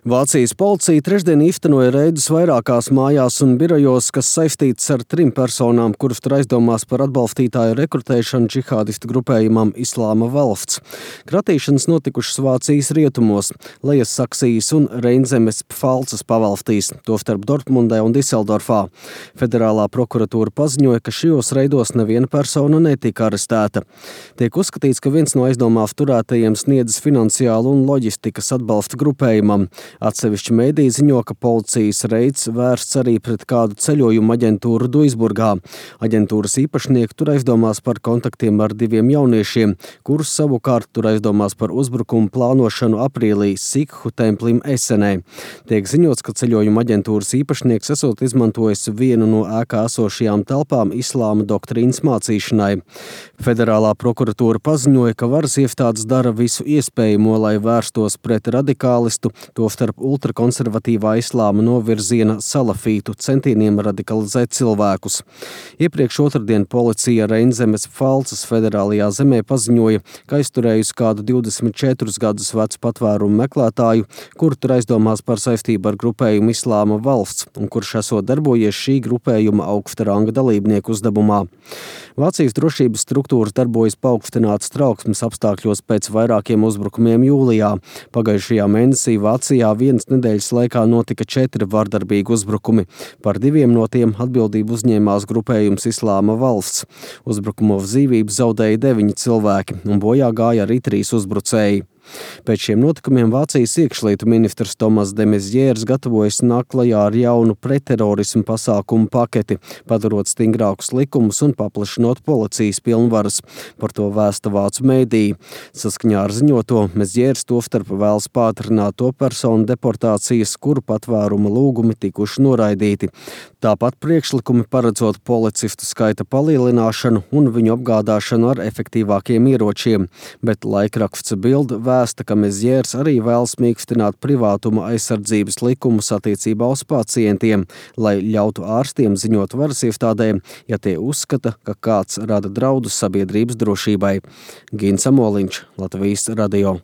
Vācijas policija trešdien īstenoja reidus vairākās mājās un birojos, kas saistīts ar 3 personām, kuras tur aizdomās par atbalstītāju rekrutēšanu džihādistu grupējumam Islāma valsts. Kratīšanas notikušas Vācijas rietumos, Lejas Saksijas un Reinzemes Pfalces pavalstīs, tostarp Dortmundē un Diseldorfā. Federālā prokuratūra paziņoja, ka šajos reidos neviena persona netika arestēta. Tiek uzskatīts, ka viens no aizdomās turētajiem sniedzis finansiālu un loģistikas atbalstu grupējumam. Atsevišķi mēdī ziņo, ka policijas reids vērsts arī pret kādu ceļojumu aģentūru Duisburgā. Aģentūras īpašnieki tur aizdomās par kontaktiem ar 2 jauniešiem, kurus savukārt tur aizdomās par uzbrukumu plānošanu aprīlī Sikhu templim Esenē. Tiek ziņots, ka ceļojuma aģentūras īpašnieks esot izmantojis vienu no ēkā esošajām telpām islāma doktrīnas mācīšanai. Federālā prokuratūra paziņoja, ka varas iestādes dara visu iespējamo, lai vērstos pret radikālistu, tostarp ultrakonservatīvā islāma novirziena salafītu centieniem radikalizēt cilvēkus. Iepriekš otrdien policija Reinzemes Pfalces federālajā zemē paziņoja, ka aizturējusi kādu 24 gadus vecu patvērumu meklētāju, kuru tur aizdomās par saistību ar grupējumu Islāma valsts un kurš esot darbojies šī grupējuma augsta ranga dalībnieku uzdevumā. Vācijas drošības struktūras darbojas paaugstinātas trauksmes apstākļos pēc vairākiem uzbrukumiem jūlijā. Pagājušajā mēnesī Vācijā vienas nedēļas laikā notika 4 vardarbīgi uzbrukumi. Par 2 no tiem atbildību uzņēmās grupējums Islāma valsts. Uzbrukumos dzīvību zaudēja 9 cilvēki un bojā gāja arī 3 uzbrucēji. Pēc šiem notikumiem Vācijas iekšlietu ministrs Tomas de Maizières gatavojas nākt klajā ar jaunu pretterorismu pasākumu paketi, padarot stingrākus likumus un paplašinot policijas pilnvaras. Par to vēsta vācu mēdī. Saskaņā ar ziņoto Maizières tostarp vēlas pātrināt to personu deportācijas, kuru patvēruma lūgumi tikuši noraidīti. Tāpat priekšlikumi paredzot policistu skaita palielināšanu un viņu apgādāšanu ar efektīvākiem ieročiem, bet laikraksts Bild vēsta, ka Maizières arī vēlas mīkstināt privātuma aizsardzības likumus attiecībā uz pacientiem, lai ļautu ārstiem ziņot varas iestādēm, ja tie uzskata, ka kāds rada draudus sabiedrības drošībai. Gins Amoliņš, Latvijas radio.